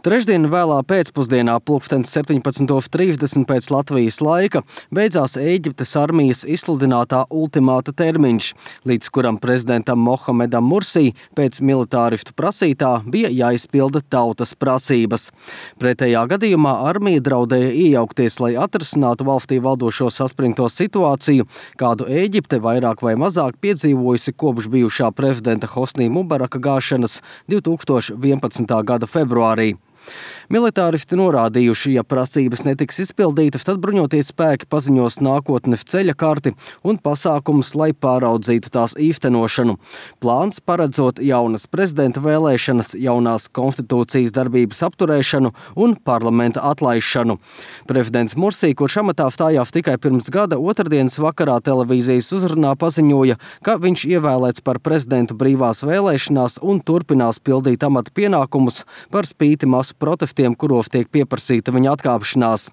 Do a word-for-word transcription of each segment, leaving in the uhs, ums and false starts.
Trešdien vēlā pēcpusdienā pulkstens septiņpadsmit trīsdesmit pēc Latvijas laika beidzās Ēģiptes armijas izsludinātā ultimāta termiņš, līdz kuram prezidentam Mohamedam Mursī pēc militāristu prasītā bija jāizpilda tautas prasības. Pretējā gadījumā armija draudēja iejaukties, lai atrisinātu valstī valdošo saspringto situāciju, kādu Ēģipte vairāk vai mazāk piedzīvojusi kopš bijušā prezidenta Hosnī Mubaraka gāšanas divi tūkstoši vienpadsmitā gada februārī. Militāristi norādījuši, ja prasības netiks izpildītas, tad bruņoties spēki paziņos nākotnes ceļa karti un pasākumus, lai pāraudzītu tās īstenošanu. Plāns paredzot jaunas prezidenta vēlēšanas, jaunās konstitūcijas darbības apturēšanu un parlamenta atlaišanu. Prezidents Mursī, kurš amatā stājās tikai pirms gada, otrdienas vakarā televīzijas uzrunā paziņoja, ka viņš ievēlēts par prezidentu brīvās vēlēšanās un turpinās pildīt amata pienākumus par spīti masu protestiem, kuros tiek pieprasīta viņa atkāpšanās.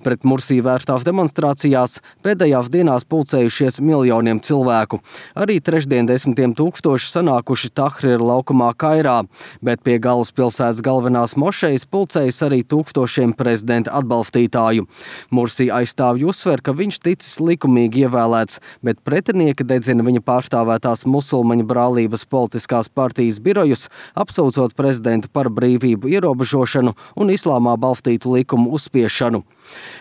Pret Mursī vērstās demonstrācijās pēdējās dienās pulcējušies miljoniem cilvēku. Arī trešdien desmitiem tūkstoši sanākuši Tahrira laukumā Kairā, bet pie galvaspilsētas galvenās mošejas pulcējas arī tūkstošiem prezidenta atbalstītāju. Mursī aizstāvji uzsver, ka viņš ticis likumīgi ievēlēts, bet pretinieki dedzina viņa pārstāvētās musulmaņu brālības politiskās partijas birojus, apsūdzot prezidentu par brīvību ierobežošanu un islāmā balstītu likumu uzspiešanu.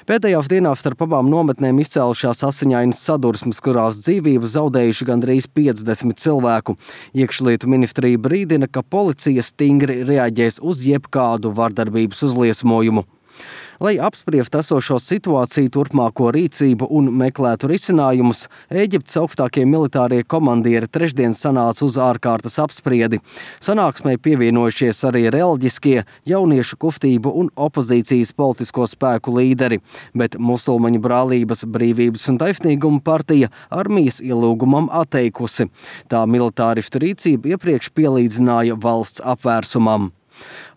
Pēdējās dienās starp abām nometnēm izcēlušās asiņainas sadursmes, kurās dzīvību zaudējuši gandrīz piecdesmit cilvēku. Iekšlietu ministrija brīdina, ka policija stingri reaģēs uz jebkādu vardarbības uzliesmojumu. Lai apspriestu esošo situāciju, turpmāko rīcību un meklētu risinājumus, Ēģiptes augstākie militārie komandieri trešdien sanāca uz ārkārtas apspriedi. Sanāksmei pievienojušies arī reliģiskie, jauniešu kustību un opozīcijas politisko spēku līderi, bet musulmaņu brālības brīvības un taisnīguma partija armijas ielūgumam atteikusi. Tā militāristu rīcību iepriekš pielīdzināja valsts apvērsumam.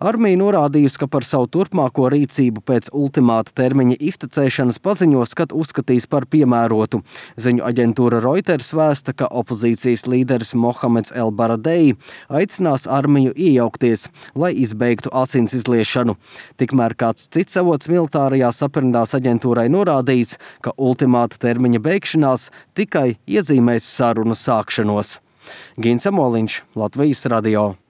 Armija norādījusi, ka par savu turpmāko rīcību pēc ultimāta termiņa iztecēšanas paziņos, kad uzskatīs par piemērotu. Ziņu aģentūra Reuters vēsta, ka opozīcijas līderis Mohameds El Baradei aicinās armiju iejaukties, lai izbeigtu asins izliešanu. Tikmēr kāds cits avots militārajā saprindās aģentūrai norādījis, ka ultimāta termiņa beigšanās tikai iezīmēs sarunu sākšanos. Gins Amoliņš, Latvijas radio.